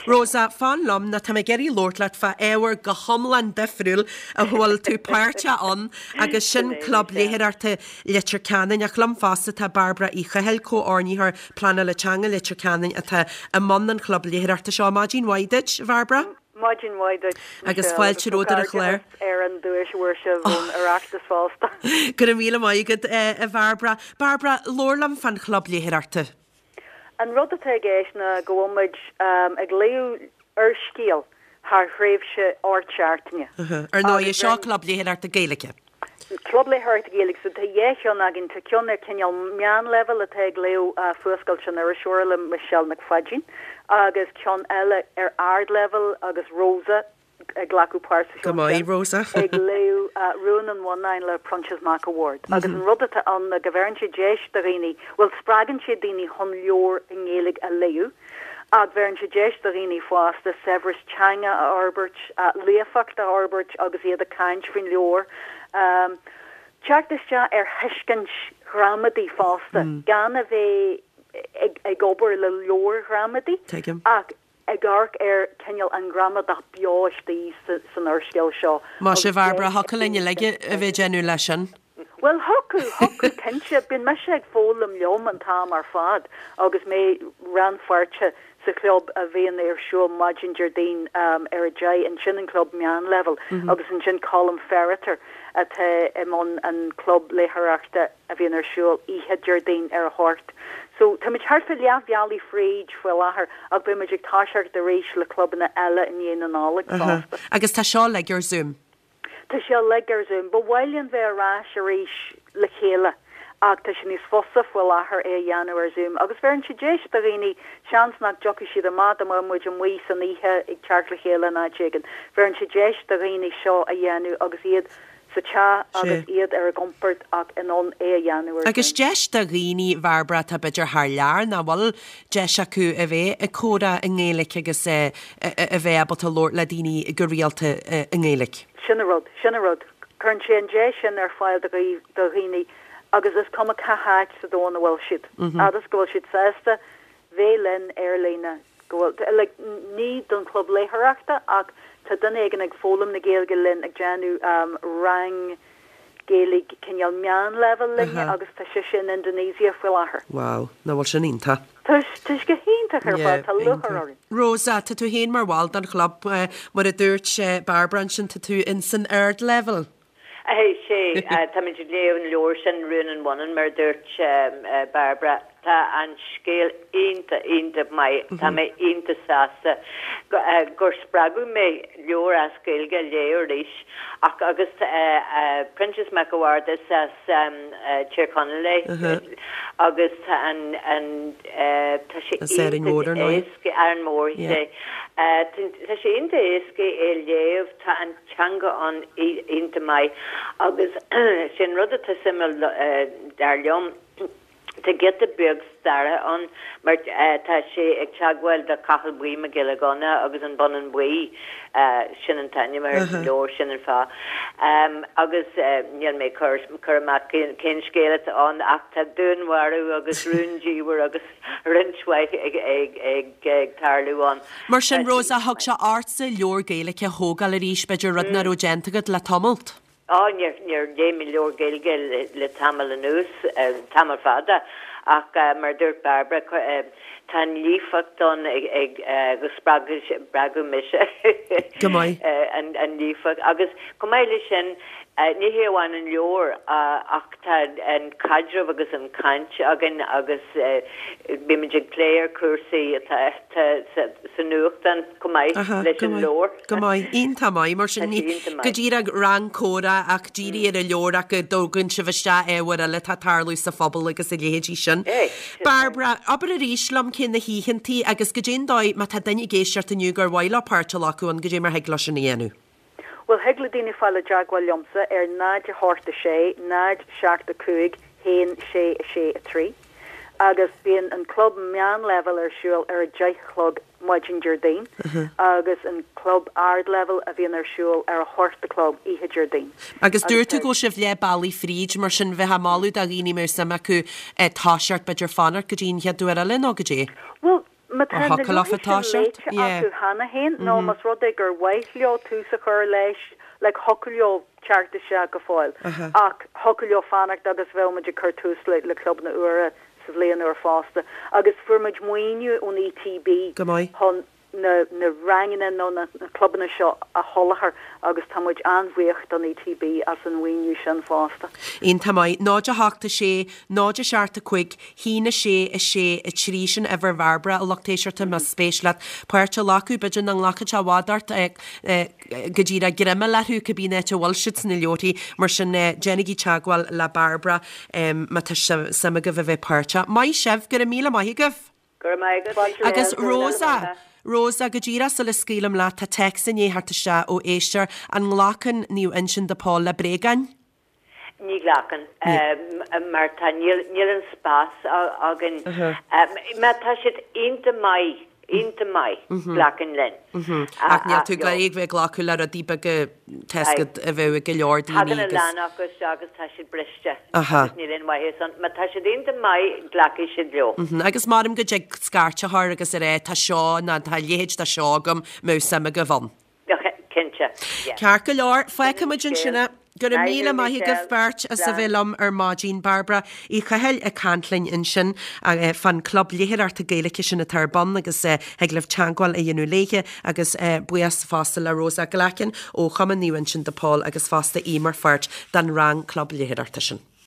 Rosa, fan liom nó tá mé ag iarraidh labhairt leat fá ábhar go hiomlán difriúil a bhfuil tú páirteach ann agus sin Club Léitheoireachta Leitir Ceanainn. Ach liom fosta tá Bairbre Uí Chathail, Comhordaitheoir Pleanála Teanga Leitir Ceanainn atá i mbun an chlub léitheoireachta seo. Maidin mhaith duit, a Bhairbre. Maidin mhaith duit, Agus Michelle, fáilte romhat ar an chlár. ar an duais a fuair sibh ón Oireachtas fosta. Go raibh míle maith agat, a Bhairbre. Bairbre, labhair liom fán chlub léitheoireachta. An rud atá i gceist ná go bhfuil muid ag léamh úrscéal thar thréimhse 8 seachtaine. Ar ndóigh, seo club léitheoireachta Gaeilge. Club léitheoireachta Gaeilge. So tá dhá cheann againn. Tá ceann ar cineál meánleibhéal atá ag léamh Fuascailt an Iriseora le Michelle Nic Pháidín agus ceann eile ar ardleibhéal agus Rosa ag glacadh páirt sa Go maith, Rosa. ag léamh Rún an Bhonnáin le Proinsias Mac a' Bhaird. Agus an rud atá ann ná go bheireann sé deis do dhaoine, bhuel spreagann sé daoine chun leabhar i nGaeilge a léamh, ach bheireann sé deis do dhaoine fásta saibhreas teanga a fhorbairt, líofacht a fhorbairt agus iad ag caint faoin leabhar, teacht isteach ar thuiscint ghramadaí fosta, gan a bheith ag obair le leabhair ghramadaí ach ag amharc ar cineál an ghramadach beo istigh san úrscéal seo. Más ea, a Bhairbre, thiocfadh linn uilig a bheith ag déanamh leis sin. Bhuel, thiocfadh, thiocfadh cinnte. Bíonn mise ag foghlaim liom an t-am ar fad agus mé rannpháirteach sa chlub a bhíonn ar siúl maidin Déardaoin ar a 10, ansin an club meánleibhéil agus ansin Colm Ferriter atá i mbun an club léitheoireachta a bhíonn ar siúl oíche Déardaoin ar a hocht. So, táimid thart fá leath bhealaigh fríd faoi láthair ach beidh muid ag toiseacht arís le clubanna eile i ndiaidh na Nollag fosta. Agus tá seo uilig ar Zoom? Tá sé uilig ar Zoom. Ba mhaith linn bheith ar ais arís le chéile ach tá sé níos fusa faoi láthair é a dhéanamh ar Zoom agus bheireann sé deis do dhaoine, seans nach dtiocfaidh siad amach dá mbeadh muid amuigh san oíche ag teacht le chéile in áit éigin, bheireann sé deis do dhaoine seo a dhéanamh agus iad sa teach agus iad ar a gcompord ach in ann é a dhéanamh ar Agus deis do dhaoine, a Bhairbre, atá b'fhéidir thar lear, nach bhfuil deis acu a bheith ag comhrá i nGaeilge agus a bheith ábalta labhairt le daoine go rialta i nGaeilge. Sin an rud, sin an rud. Cuireann sé an deis sin ar fáil do dhaoine agus is cuma cá háit sa domhan a bhfuil siad, fhad is go bhfuil siad sásta bheith linn ar líne, go bhfuil, like, ní don chlub léitheoireachta ach tá duine éigin ag foghlaim na Gaeilge linn, ag déanamh rang Gaeilge cineál meánleibhéil linne agus tá sise in Indonesia faoi láthair. Wow, nach bhfuil sin iontach? Tá, tá sé go hiontach ar fad, tá lúcháir orainn. Rosa, tá tú féin mar bhall den chlub, mar a dúirt Bairbre ansin, tá tú in san ardleibhéal. Sea, táimid ag léamh an leabhair sin, Rún an Bhonnáin, mar a dúirt Bairbre. Tá an scéal iontach, iontach maith. Tá mé iontach sásta gur spreagadh mé leabhar as Gaeilge a léamh arís. Ach agus Proinsias Mac a' Bhaird, is as Tír Chonaill é agus tá an, an, tá sé iontach éasca, Árainn Mhór, sea. Tá sé iontach éasca é a léamh, tá an. teanga ann iontach maith agus sé an rud atá suimiúil dar liom, tá giota beag staire ann mar tá sé ag teagmháil do Cathal Buí Mac Giolla Ghunna agus an Bonnán Buí, sin an t-ainm ar an leabhar, sin an fáth. Agus níl mé ag cur amach cén scéal atá ann ach tá dúnmharú agus rúndiamhair agus roinnt mhaith ag tarlú ann. Mar sin, Rosa, thug sé ortsa leabhar Gaeilge a thógáil arís, b'fhéidir, rud nach raibh déanta agat le tamalt? Á, níor, níor léigh mé leabhar Gaeilge le tamall anuas, tamall fada, ach mar a dúirt Bairbre, tá an líofacht ann ag, agus spreag, spreagadh mise Go maith. an líofacht. Agus chomh maith leis sin, ní hé amháin an leabhar ach tá an caidreamh agus an chaint againn agus bímid ag plé ar chúrsaí atá sa nuachtán chomh maith leis an leabhar. Go maith. Iontach maith. Mar sin, ní go díreach rang comhrá ach dírithe ar an leabhar ach go dtógann sibh isteach ábhair eile atá ag tarlú sa phobal agus a leithéidí sin. Bairbre, abair arís liom cé na hoícheantaí agus goidé an dóigh má tá duine ag éisteacht inniu gur mhaith leo páirt a ghlacadh ann, goidé mar thig leo sin a dhéanamh. Bhuel, thig le daoine fáil i dteagmháil liomsa ar 0 8 6 0 7 5 1 6 6 3 agus bíonn an club meánleibhéil ar siúl ar a 10 a chlog maidin Déardaoin agus an club ardleibhéil a bhíonn ar siúl ar a hocht a chlog oíche Déardaoin. Agus dúirt tú go bhfuil sibh leath bealaigh fríd, mar sin bheifeá ag moladh do dhaoine a mbeadh suim acu toiseacht, b'fhéidir fanacht go dtí an chéad uair eile nó goidé? Bhuel, Má tá na leabharthaí sin léite acu cheana féin nó más rud é gur mhaith leo tús a chur leis, like, thiocfadh leo teacht isteach go fóill. Ach thiocfadh leo fanacht agus bheadh muid ag cur tús le clubanna úra sa bhliain úr fosta. Agus fuair muid maoiniú ón ETB chun na na ranganna nó na clubanna seo a sholáthar agus tá muid an-bhuíoch don ETB as an mhaoiniú sin fosta. Iontach maith. 0 8 6 0 7 5 1 6 6 3 Sin uimhir Bhairbre, a lucht éisteachta, más spéis leat páirt a ghlacadh. B'fhéidir nach nglacfaidh sé i bhfad ort go díreach greim a fháil orthu cibé áit a bhfuil siad sna leabharthaí. Mar sin, déanaigí teagmháil le Bairbre má tá suim agaibh a bheith páirteach. Maith sibh, go raibh míle maith agaibh! Go raibh maith agat. Agus Rosa, Rosa, go díreach sula scaoilim leat, tá téacs i ndiaidh theacht isteach ó éisteoir, an nglacann Naomh Uinseann de Pól le bréagáin? Ní ghlacann, mar tá, níl, níl an spás againn. Má tá siad iontach maith, iontach maith, glacann linn. Ach níl tú ag iarraidh bheith ag glacadh le rudaí beaga tá a fhios agat a bheadh ag go leor daoine agus. Tagann a lán acu isteach agus tá siad briste agus níl aon mhaitheas ann. Má tá siad iontach maith, glacfaidh siad leo. Agus maram go dtig scairt a chur agus a rá tá seo nó tá a leithéid de seo agam, mbeadh suim agaibh ann. Cinnte. Ceart go leor, fágfaidh muid ansin é. Go raibh míle maith agaibh beirt as a bheith liom ar maidin. Bairbre Uí Chathail ag caint linn ansin fán Club Léitheoireachta Gaeilge sin atá ar bun agus thig libh teagmháil a dhéanamh léithe agus buíochas fosta le Rosa Glackin ó Chumann Naomh Uinseann de Pól agus fosta í mar pháirt den rang Club Léitheoireachta sin.